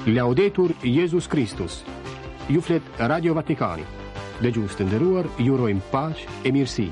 Laudetur Jezus Kristus. Ju flet Radio Vatikani. Dëgjues të nderuar, ju urojmë paqe e mirësi.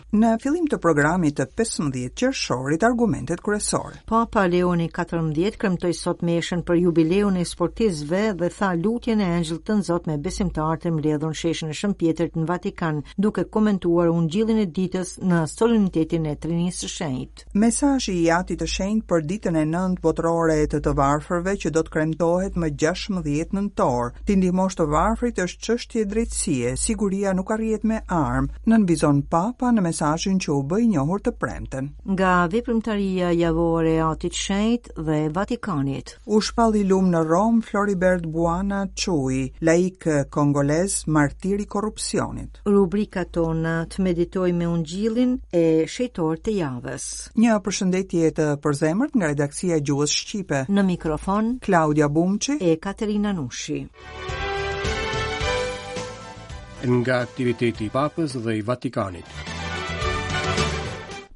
Në fillim të programit të 15 qershorit, argumentet kryesore. Papa Leoni 14 kremtoi sot meshën për jubileun e sportistëve dhe tha lutjen e Engjëllit Tënzot me besimtarët e mbledhur në sheshin e Shën Pjetrit në Vatikan, duke komentuar Ungjillin e ditës në solemnitetin e Trinisë së Shenjtë. Mesazhi i Atit të Shenjtë për Ditën e Nëntë Botërore të të Varfërve që do të kremtohet më 16 nëntor. T'i ndihmosh të varfrit është çështje drejtësie, siguria nuk arrihet me armë, nënvizon Papa në mesazhin që u bë i njohur të premten. Nga veprimtaria javore e Atit të Shenjtë dhe Vatikanit. U shpall i lum në Romë Floribert Bwana Chui, laik kongolez, martir i korrupsionit. Rubrika tona të meditojmë me Ungjillin e shenjtorët e javës. Një përshëndetje të përzemërt nga redaksia e gjuhës shqipe. Në mikrofon Klaudia Bumçi e Katerina Nushi. Nga aktiviteti i Papës dhe i Vatikanit.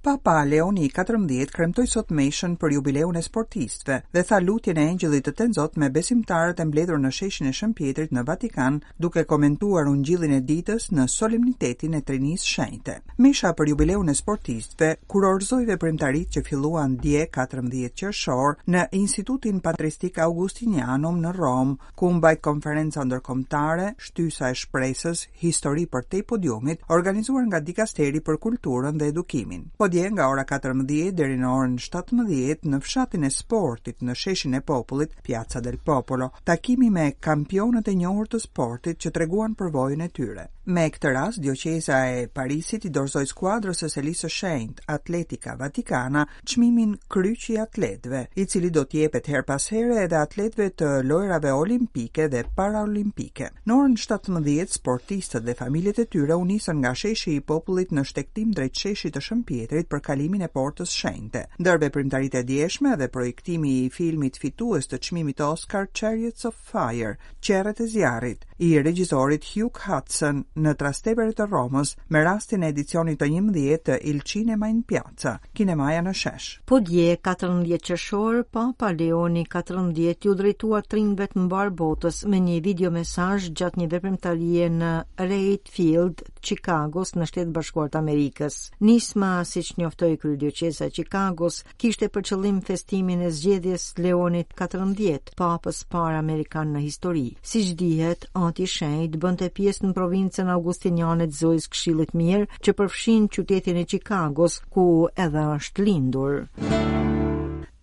Papa Leoni i 14 kremtoi sot meshën për jubileun e sportistëve dhe tha lutjen e Engjëllit të Tenzot me besimtarët e mbledhur në sheshin e Shën Pjetrit në Vatikan duke komentuar Ungjillin e ditës në solemnitetin e Trinisë Shenjte. Mesha për jubileun e sportistëve kurorëzoi veprimtaritë që filluan dje 14 qershor në Institutin Patristik Augustinianum në Romë, ku u mbajt konferenca ndërkombëtare Shtysa e Shpresës, Histori përtej podiumit, organizuar nga Dikasteri për Kulturën dhe Edukimin. Po dje nga ora 14 deri në orën 17 në fshatin e sportit në sheshin e popullit, Piazza del Popolo, takimi me kampionët e njohur të sportit që treguan përvojën e tyre. Me këtë rast, dioqeza e Parisit i dorëzoi skuadrës së Selisë së Shenjtë, Atletica Vaticana, çmimin Kryqi i Atletëve, i cili do të jepet herë pas here edhe atletëve të lojërave olimpike dhe paraolimpike. Në orën 17, sportistët dhe familjet e tyre u nisën nga sheshi i popullit në shtegtim drejt sheshit të Shën Pjetrit për kalimin e Portës Shenjte. Ndër veprimtaritë e djeshme edhe projektimi i filmit fitues të çmimit Oscar Chariots of Fire, Qerret e zjarrit, i regjisorit Hugh Hudson në Trastevere të Romës me rastin e edicionit të 11 të Il Cinema in Piazza, kinemaja në shesh. Po dje, 14 qershor, Papa Leoni 14 iu drejtua të rinjve të mbarë botës me një videomesazh gjatë një veprimtarie në Reid Field, Chicagos në Shtetet e Bashkuara të Amerikës. Nisma, siç njoftoi kryedioqeza e Chicagos, kishte për qëllim festimin e zgjedhjes Leonit 14, papës parë amerikan në histori. Siç dihet, Ati i Shenjtë bënte pjesë në provincën augustiniane të Zojës Këshillit Mirë, që përfshin qytetin e Chicagos, ku edhe është lindur.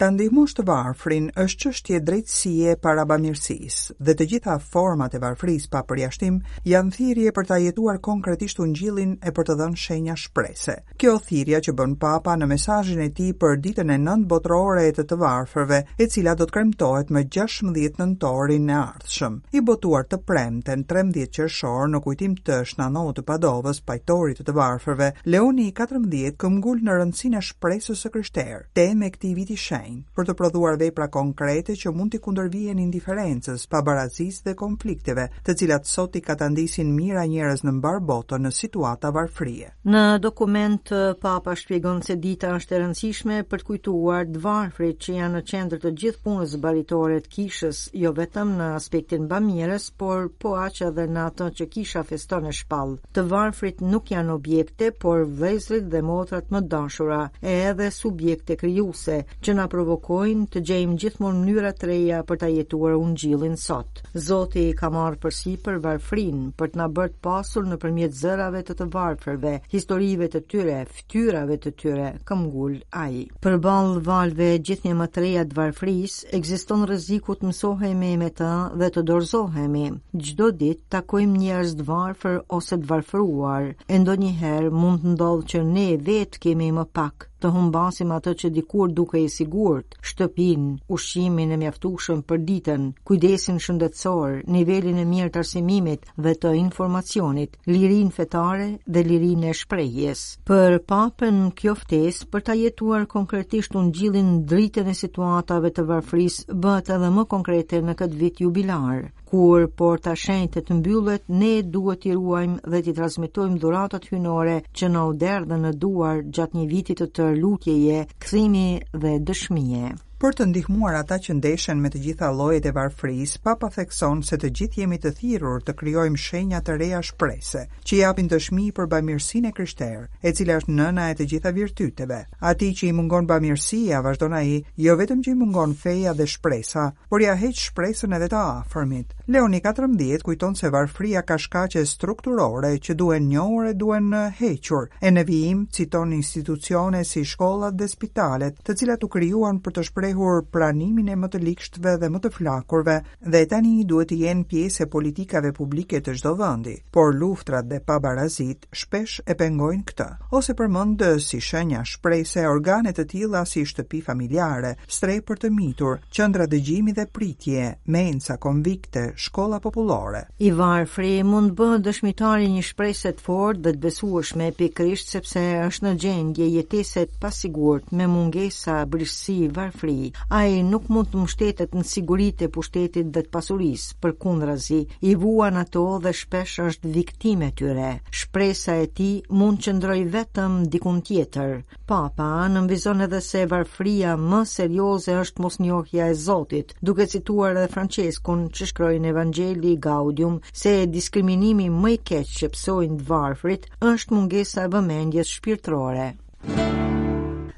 Ta ndihmosh të varfrin është çështje drejtësie para bamirësisë, dhe të gjitha format e varfërisë pa përjashtim janë thirrje për ta jetuar konkretisht ungjillin e për të dhënë shenja shprese. Kjo thirrja që bën Papa në mesazhin e tij për ditën e nëntë botërore të të varfërve, e cila do të kremtohet më 16 nëntorin e ardhshëm. I botuar të premten 13 qershor në kujtim të Shën Ndout të Padovës, pajtorit të të varfërve, Leoni i 14 këmbgul në rëndësinë e shpresës së krishterë, temë e këtij viti shenjt, për të prodhuar vepra konkrete që mund t'i kundërvihen indiferencës, pabarazisë dhe konflikteve, të cilat sot i katandisin mijëra njerëz në mbarë botën në situata varfërie. Në dokument, Papa shpjegon se dita është e rëndësishme për të kujtuar të varfrit që janë në qendër të gjithë punës baritore të kishës, jo vetëm në aspektin bamirës, por po aq edhe në atë që kisha feston e shpall. Të varfrit nuk janë objekte, por vëllezërit dhe motrat më të dashura, e edhe subjekte krijuese, që na provokojnë të gjejmë gjithmonë mënyra të reja për ta jetuar ungjillin sot. Zoti ka marrë përsipër varfërinë për të na bërë të pasur nëpërmjet zërave të të varfërve, historive të tyre, fytyrave të tyre, këmbgul ai. Përballë valëve gjithnjë më të reja të varfërisë, ekziston rreziku të mësohemi me të dhe të dorëzohemi. Çdo ditë takojmë njerëz të varfër ose të varfëruar, e ndonjëherë mund të ndodhë që ne vetë kemi më pak, të humbasim atë që dikur dukej e sigurt, shtëpinë, ushqimin e mjaftueshëm për ditën, kujdesin shëndetësor, nivelin e mirë të arsimimit dhe të informacionit, lirinë fetare dhe lirinë e shprehjes. Për Papën kjo ftesë për ta jetuar konkretisht ungjillin në dritën e situatave të varfërisë bëhet edhe më konkrete në këtë vit jubilar. Kur porta e shenjtë të mbyllet, ne duhet t'i ruajmë dhe t'i transmetojmë dhuratat hyjnore që na u derdhën në duar gjatë një viti të tërë lutjeje, kthimi dhe dëshmie. Për të ndihmuar ata që ndeshen me të gjitha llojet e varfërisë, Papa thekson se të gjithë jemi të thirrur të krijojmë shenja të reja shprese, që japin dëshmi për bamirësinë e krishterë, e cila është nëna e të gjitha virtyteve. Atij që i mungon bamirësia, vazhdon ai, jo vetëm që i mungon feja dhe shpresa, por ia heq shpresën edhe të afërmit. Leoni 14 kujton se varfëria ka shkaqe strukturore që duhen njohur e duhen hequr, e në vijim citon institucione si shkollat dhe spitalet, të cilat u krijuan për të shprehur pranimin e më të ligshtëve dhe më të flakurve dhe tani duhet të jenë pjesë e politikave publike të çdo vendi, por luftrat dhe pabarazitë shpesh e pengojnë këtë, ose përmend si shenja shprese organe të tilla si shtëpi familjare, strehë për të mitur, qendra dëgjimi dhe pritje, mensa, konvikte, shkolla popullore. I varfri mund të bëhet dëshmitar i një shprese të fortë dhe të besueshme pikërisht sepse është në gjendje jetese të pasigurt me mungesa, brishtësi, varfëri. Ai nuk mund të mbështetet në siguritë e pushtetit dhe të pasurisë, përkundrazi, i vuan ato dhe shpesh është viktimë e tyre. Shpresa e tij mund të qëndrojë vetëm dikund tjetër. Papa nënvizon edhe se varfëria më serioze është mosnjohja e Zotit, duke cituar edhe Françeskun që shkroi në Evangelii Gaudium se diskriminimi më i keq që pësojnë të varfrit është mungesa e vëmendjes shpirtërore.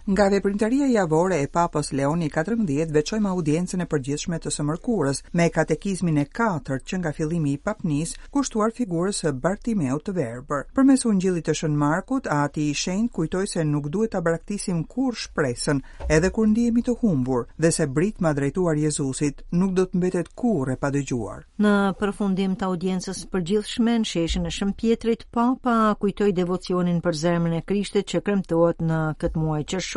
Nga veprimtaria javore e Papës Leoni XIV veçojmë audiencën e përgjithshme të së mërkurës me katekizmin e katërt që nga fillimi i papnisë kushtuar figurës së Bartimeut të verbër. Përmes Ungjillit të Shën Markut, Ati i Shenjtë kujtoi se nuk duhet ta braktisim kurrë shpresën, edhe kur ndihemi të humbur, dhe se britma drejtuar Jezusit nuk do të mbetet kurrë e padëgjuar. Në përfundim të audiencës së përgjithshme në sheshin e Shën Pjetrit, Papa kujtoi devocionin për zemrën e Krishtit që kremtohet në këtë muaj qershor.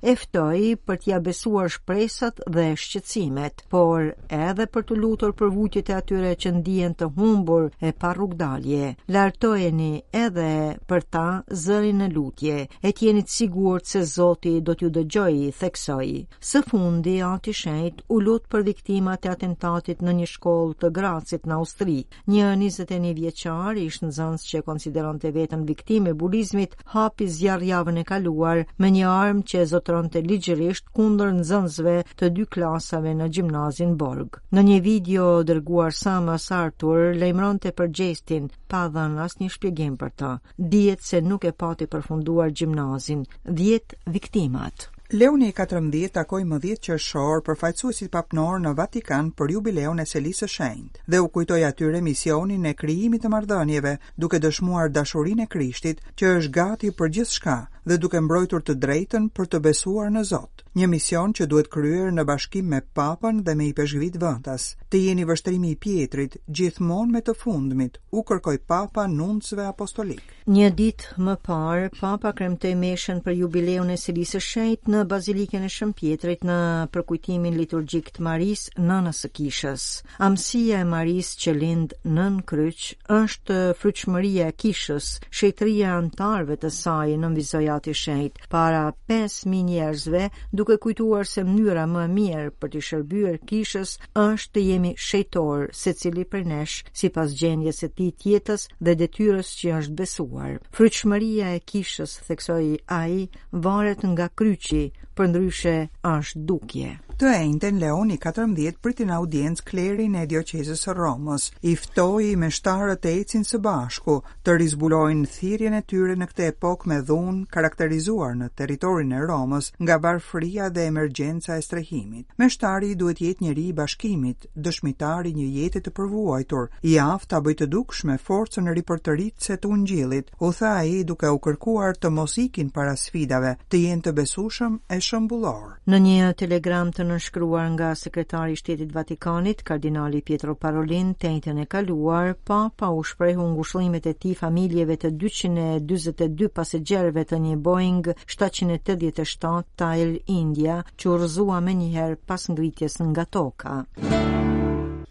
E ftoi për t'ia besuar shpresat dhe shqetësimet, por edhe për t'u lutur për vujtjet e atyre që ndihen të humbur e pa rrugëdalje. Lartojeni edhe për ta zërin në lutje, e të jeni të sigurt se Zoti do t'ju dëgjojë, theksoi. Së fundi, Ati i Shenjtë u lut për viktimat e atentatit në një shkollë të Gracit në Austri. Një 21 vjeçar, ish nxënës që e konsideronte veten viktimë e bulizmit, hapi zjarr javën e kaluar me një armë që e zotëronte ligjërisht kundër nxënësve të dy klasave në gjimnazin Borg. Në një video dërguar Samas Artur lajmëronte për gjestin pa dhënë asnjë shpjegim për të. Dihet se nuk e pati përfunduar gjimnazin. 10 viktimat. Leoni i 14 takoi më 10 qershor përfaqësuesit papnorë në Vatikan për jubileun e Selisë së Shenjtë dhe u kujtoi atyre misionin e krijimit të marrëdhënieve, duke dëshmuar dashurinë e Krishtit, që është gati për gjithçka dhe duke mbrojtur të drejtën për të besuar në Zot. Një mision që duhet kryer në bashkim me Papën dhe me ipeshkvit vendas. Të jeni vështrimi i Pjetrit, gjithmonë me të fundmit, u kërkoi Papa nuncëve apostolikë. Një ditë më parë, Papa kremtoi meshën për jubileun e Selisë së Shenjtë në Bazilikën e Shën Pjetrit në përkujtimin liturgjik të Marisë, nënës së Kishës. Amësia e Marisë që lind nën kryq është frytshmëria e Kishës, shenjtëria e anëtarëve të saj, nënvizoi Ati i Shenjtë para 5000 njerëzve, duke kujtuar se mënyra më e mirë për t'i shërbyer Kishës është të jemi shenjtorë, secili prej nesh, sipas gjendjes së tij të jetës dhe detyrës që i është besuar. Frytshmëria e kishës, theksoi ai, varet nga kryqi, përndryshe është dukje. Të enjten Leoni 14 priti në audiencë klerin e dioqezës së Romës. I ftoi meshtarët të ecin së bashku, të rizbulojnë thirrjen e tyre në këtë epokë me dhunë, karakterizuar në territorin e Romës nga varfëria dhe emergjenca e strehimit. Meshtari duhet të jetë njeri i bashkimit, dëshmitar i një jete të përvuajtur, i aftë ta bëjë të dukshme forcën ripërtëritëse të Ungjillit, u tha ai duke u kërkuar të mos ikin para sfidave, të jenë të besueshëm e shembullorë. Në një telegram të nënshkruar nga sekretari i Shtetit të Vatikanit, kardinali Pietro Parolin, të enjten e kaluar, Papa u shprehu ngushëllimet e tij familjeve të 242 pasagjerëve të një Boeing 787 të Air India, që u rrëzua menjëherë pas ngritjes nga toka.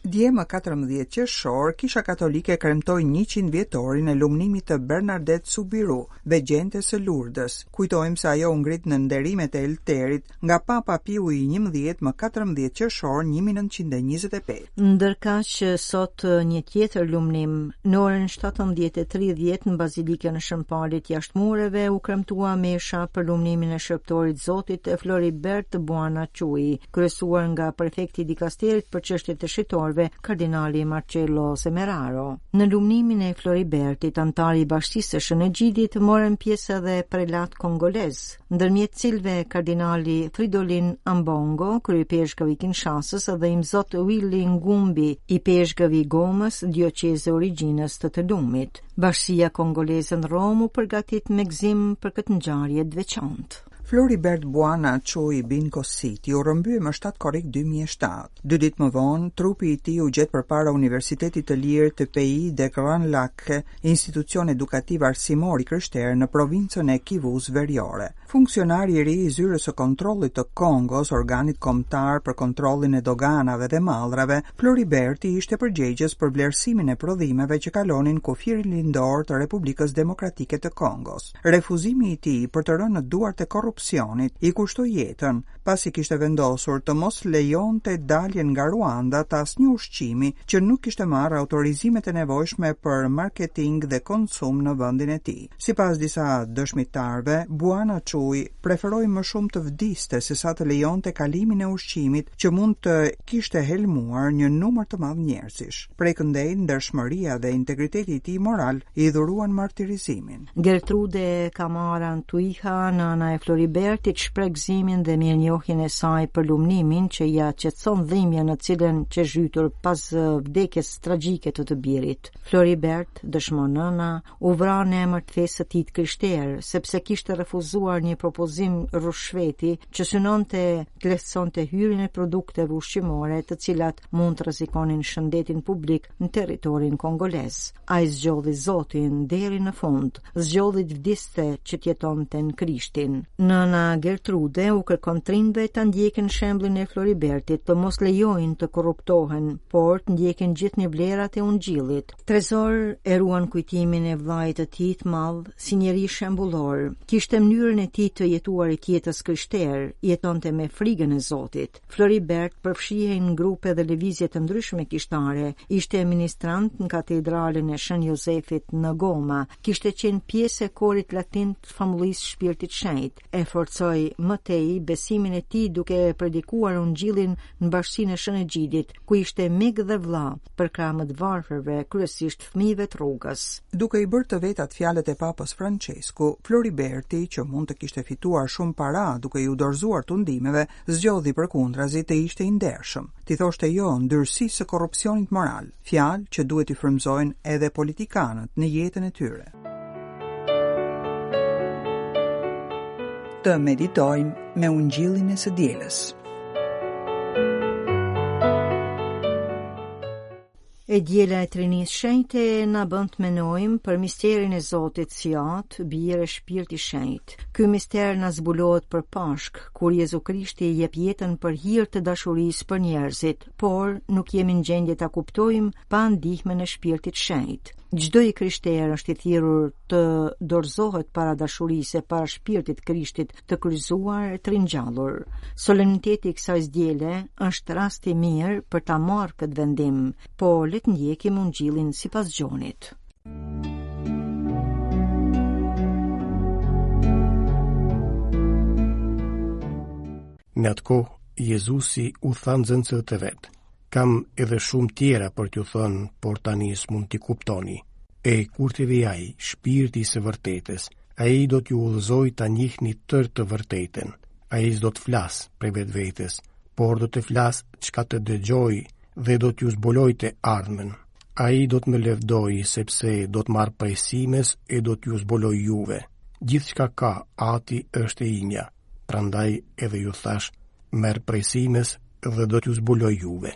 Dje më 14 qershor, Kisha Katolike kremtoi 100 vjetorin e lumnimit të Bernadette Soubirous, vegjentes së Lurdës. Kujtojmë se ajo u ngrit në nderimet e Elterit nga Papa Piu i 11 më 14 qershor 1925. Ndërkaq sot një tjetër lumnim, në orën 17:30 në Bazilikën e Shën Palit jashtë mureve u kremtua mesha për lumnimin e shërbëtorit Zotit Floribert Bwana Chui, kryesuar nga prefekti i dikasterit për çështjet e shejtorëve, kardinali Marcello Semeraro. Në lumnimin e Floribertit, anëtar i Bashkësisë së Shën Egjidit, morën pjesë edhe prelatë kongolezë, ndërmjet cilëve kardinali Fridolin Ambongo, kryeipeshkëv i Kinshasës dhe imzot Willy Ngumbi, ipeshkëv i Gomës, dioqezë e origjinës të të lumit. Bashkësia kongoleze në Romë u përgatit me gëzim për këtë ngjarje të veçantë. Floribert Bwana Chui Bin Kositi u rrëmbye më 7 korrik 2007. Dy ditë më vonë, trupi i tij u gjet përpara Universitetit të Lirë të Pays des Grands Lacs, institucion edukativ arsimor i krishterë në provincën e Kivus Veriore. Funksionari i ri i Zyrës së Kontrollit të Kongos, organit kombëtar për kontrollin e doganave dhe mallrave, Floriberti ishte përgjegjës për vlerësimin e prodhimeve që kalonin kufirin lindor të Republikës Demokratike të Kongos. Refuzimi i tij për të rënë në duart e korrupsionit i kushtoi jetën, pasi kishte vendosur të mos lejonte daljen nga Ruanda të asnjë ushqimi që nuk kishte marrë autorizimet e nevojshme për marketing dhe konsum në vendin e tij. Sipas disa dëshmitarëve, Bwana Chui preferoi më shumë të vdiste sesa të lejonte kalimin e ushqimit që mund të kishte helmuar një numër të madh njerëzish. Prej këndej, ndershmëria dhe integriteti i tij moral i dhuruan martirizimin. Gertrude Kamara Ntuiha, nëna e Floribertit, shpreh gëzimin dhe mirënjohjen e saj për lumnimin që ia qetëson dhimbjen në cilën qe zhytur pas vdekjes tragjike të të birit. Floribert, dëshmon nëna, u vra në emër të fesë së tij të krishterë, sepse kishte refuzuar një propozim ryshfeti që synonte të lehtësonte hyrjen e produkteve ushqimore të cilat mund të rrezikonin shëndetin publik në territorin kongolez. Ai zgjodhi Zotin deri në fund, zgjodhi të vdiste që të jetonte në Krishtin. Nëna Gertrude u kërkon të rinjve ta ndjekin shembullin e Floribertit, të mos lejojnë të korruptohen, por të ndjekin gjithnjë vlerat e Ungjillit. Trezor e ruan kujtimin e vëllait të tij të madh si njeri shembullor. Kishte mënyrën e tij të jetuarit jetës krishterë, jetonte me frigën e Zotit. Floribert përfshihej në grupe dhe lëvizje të ndryshme kishtare, ishte ministrant në katedralen e Shën Jozefit në Goma, kishte qenë pjesë e korit latin të famullisë Shpirtit Shenjt, e forcoi më tej besimin e tij duke predikuar ungjillin në bashkësinë e Shën Egjidit, ku ishte mik dhe vëlla përkrah më të varfërve, kryesisht fëmijëve të rrugës. Duke i bërë të vetat fjalët e Papës Françesku, Floriberti, që mund të kishte fituar shumë para duke iu dorëzuar tundimeve, zgjodhi përkundrazi të ishte i ndershëm, t'i thoshte jo ndyrësisë së korrupsionit moral, fjalë që duhet t'i frymëzojnë edhe politikanët në jetën e tyre. Të meditojmë me ungjillin e së dielës. E diela e Trinisë Shenjte na bën të menojmë për misterin e Zotit si Atë, Bir e Shpirt i Shenjtë. Ky mister na zbulohet për Pashkë, kur Jezu Krishti jep jetën për hir të dashurisë për njerëzit, por nuk jemi në gjendje ta kuptojmë pa ndihmën e Shpirtit Shenjt. Çdo i krishterë është i thirrur të dorëzohet para dashurisë e para shpirtit Krishtit të kryqëzuar e të ringjallur. Solemniteti i kësaj diele është rast i mirë për ta marrë këtë vendim, po le të ndjekim ungjillin sipas Gjonit. Në atë kohë, Jezusi u tha nxënësve të vet, Kam edhe shumë tjera për t'ju thënë, por tani s'mund t'i kuptoni. E kur të vijë ai, shpirti i së vërtetës, ai do t'ju udhëzojë ta njihni tërë të vërtetën. Ai s'do të flasë prej vetvetes, por do të flasë çka të dëgjojë dhe do t'ju zbulojë të ardhmen. Ai do të më lëvdojë, sepse do të marrë prej simes e do t'ju zbulojë juve. Gjithçka ka Ati është e imja. Prandaj edhe ju thashë, merr prej simes dhe do t'ju zbulojë juve.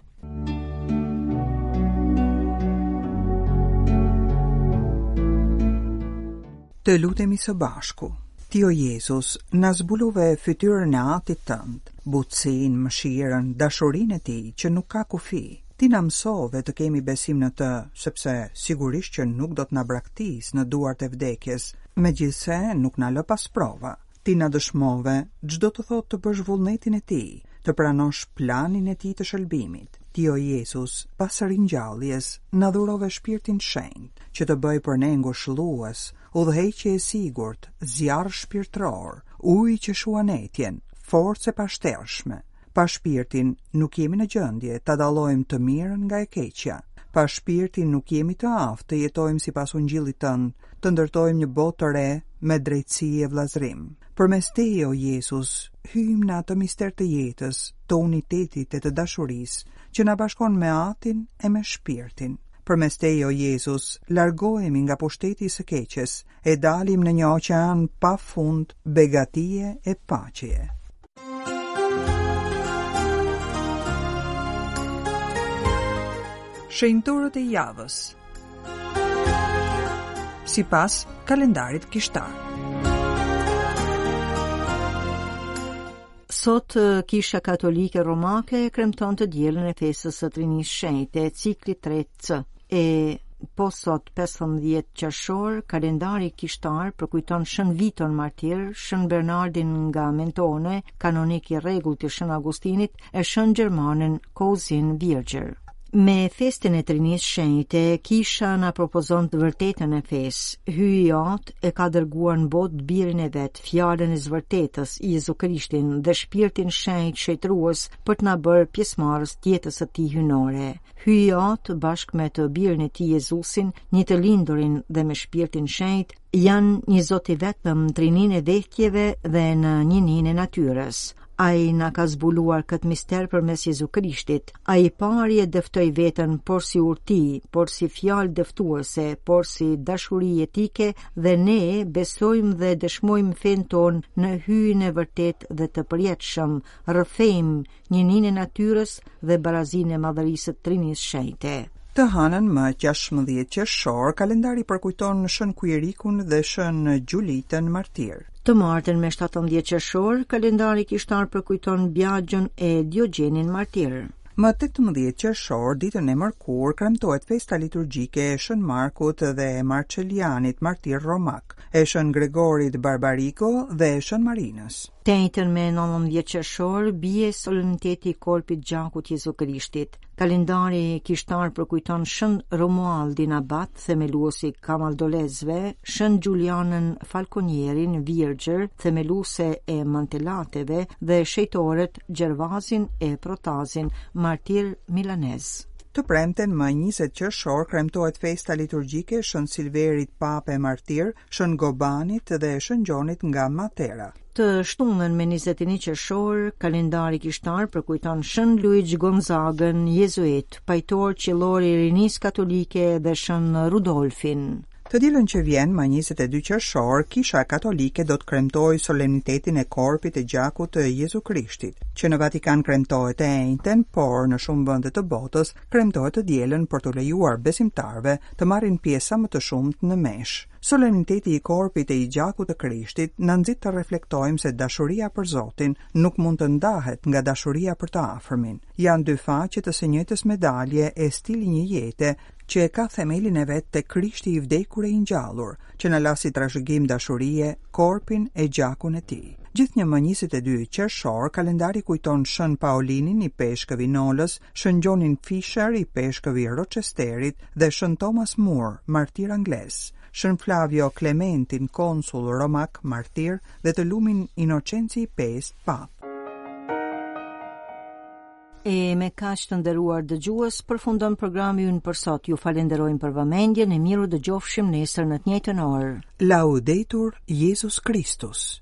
Të lutemi së bashku. Ti o Jezus, na zbulove fytyrën e Atit tënd, butësinë, mëshirën, dashurinë e tij që nuk ka kufi. Ti na mësove të kemi besim në të, sepse sigurisht që nuk do të na braktisë në duart e vdekjes, megjithëse nuk na lë pa sprova. Ti na dëshmove ç'do të thotë të bësh vullnetin e Tij, të pranosh planin e Tij të shëlbimit. Ti o Jezus, pas ringjalljes, na dhurove Shpirtin Shenjt, që të bëjë për ne ngushëllues, udhëheqje e sigurt, zjarr shpirtëror, ujë që shuan etjen, forcë e pashtershme. Pa Shpirtin nuk jemi në gjendje ta dallojmë të mirën nga e keqja. Pa Shpirtin nuk jemi të aftë të jetojmë sipas Ungjillit tënd, të ndërtojmë një botë të re me drejtësi e vëllazërim. Përmes teje, o Jezus, hyjmë në atë mister të jetës, të unitetit e të dashurisë, që na bashkon me Atin e me Shpirtin. Përmes teje, o Jezus, largohemi nga pushteti i së keqes e dalim në një oqean pa fund begatie e paqeje. Shenjtorët e javës Sipas kalendarit kishtar Sot Kisha Katolike Romake kremton të dielën e festës së Trinisë Shenjte, cikli 3C. E po sot 15 qershor, kalendari kishtar përkujton Shën Viton Martir, Shën Bernardin nga Mentone, kanonik i rregullt i Shën Augustinit, e Shën Gjermanin Kouzin Virgjër. Me festën e Trinisë Shenjte, kisha na propozon të vërtetën e fesë. Hyji Atë e ka dërguar në botë birin e vet, fjalën e së vërtetës, Jezu Krishtin dhe Shpirtin Shenjt shenjtërues për të na bërë pjesëmarrës të jetës së tij hyjnore. Hyji Atë bashkë me të birin e tij Jezusin, një të lindurin dhe me Shpirtin Shenjt, janë një Zot i vetëm në trininë e vetjeve dhe në njëninë e natyrës. Ai na ka zbuluar këtë mister përmes Jezu Krishtit. Ai i pari e dëftoi veten porsi urti, porsi fjalë dëftuese, porsi dashuri jetike dhe ne besojmë dhe dëshmojmë fenë tonë në Hyjin e vërtetë dhe të përjetshëm, rrëfejmë njëninë e natyrës dhe barazinë e madhërisë së Trinisë Shenjte. Të hënën më 16 qershor, kalendari përkujton Shën Kuirikun dhe Shën Gjulitën martirë. Të martën me 17 qershor, kalendari kishtar përkujton Biagjën e Diogjenin martir. Më 18 qershor, ditën e mërkurë, kremtohet festa liturgjike e Shën Markut dhe e Marcelianit martir romak, e Shën Gregorit Barbarigo dhe e Shën Marinës. Të enjten me 19 qershor bie solemniteti i korpit gjakut Jezu Krishtit. Kalendari kishtar përkujton Shën Romualdin Abat, themelues i Kamaldolezve, Shën Xhulianën Falkonierin, Virgjër, themeluese e Mantelateve dhe shenjtorët Gjervazin e Protazin, martir milanez. Të premten më 20 qershor kremtohet festa liturgjike e Shën Silverit Papë e Martir, Shën Gobanit dhe Shën Gjonit nga Matera. Të shtunën me 21 qershor, kalendari kishtar përkujton Shën Luigj Gonzagën, jezuit, pajtor qiellor i rinisë katolike dhe Shën Rudolfin. Të dielën që vjen, më 22 qershor, Kisha Katolike do të kremtojë solemnitetin e Korpit e Gjakut të Jezu Krishtit, që në Vatikan kremtohet të enjten, por në shumë vende të botës kremtohet të dielën për t'u lejuar besimtarëve të marrin pjesë sa më të shumtë në meshë. Solemniteti i Korpit e i Gjakut të Krishtit na nxit të reflektojmë se dashuria për Zotin nuk mund të ndahet nga dashuria për të afërmin. Janë dy faqe të së njëjtës medalje e stil i një jete që e ka themelin e vet te Krishti i vdekur e i ngjallur, që na la si trashëgim dashurie korpin e gjakun e tij. Gjithnjë më 22 qershor, kalendari kujton Shën Paolinin ipeshkëv i Nolës, Shën Gjonin Fisher ipeshkëv i Rochesterit dhe Shën Thomas More, martir anglez, Shën Flavio Klementin, konsull romak, martir dhe të lumin Inocenci i V, papë. E me kaq të nderuar dëgjues, përfundon programi ynë për sot. Ju falenderojmë për vëmendjen e mirudëgjofshim nesër në të njëjtën orë. Laudetur Jesus Christus.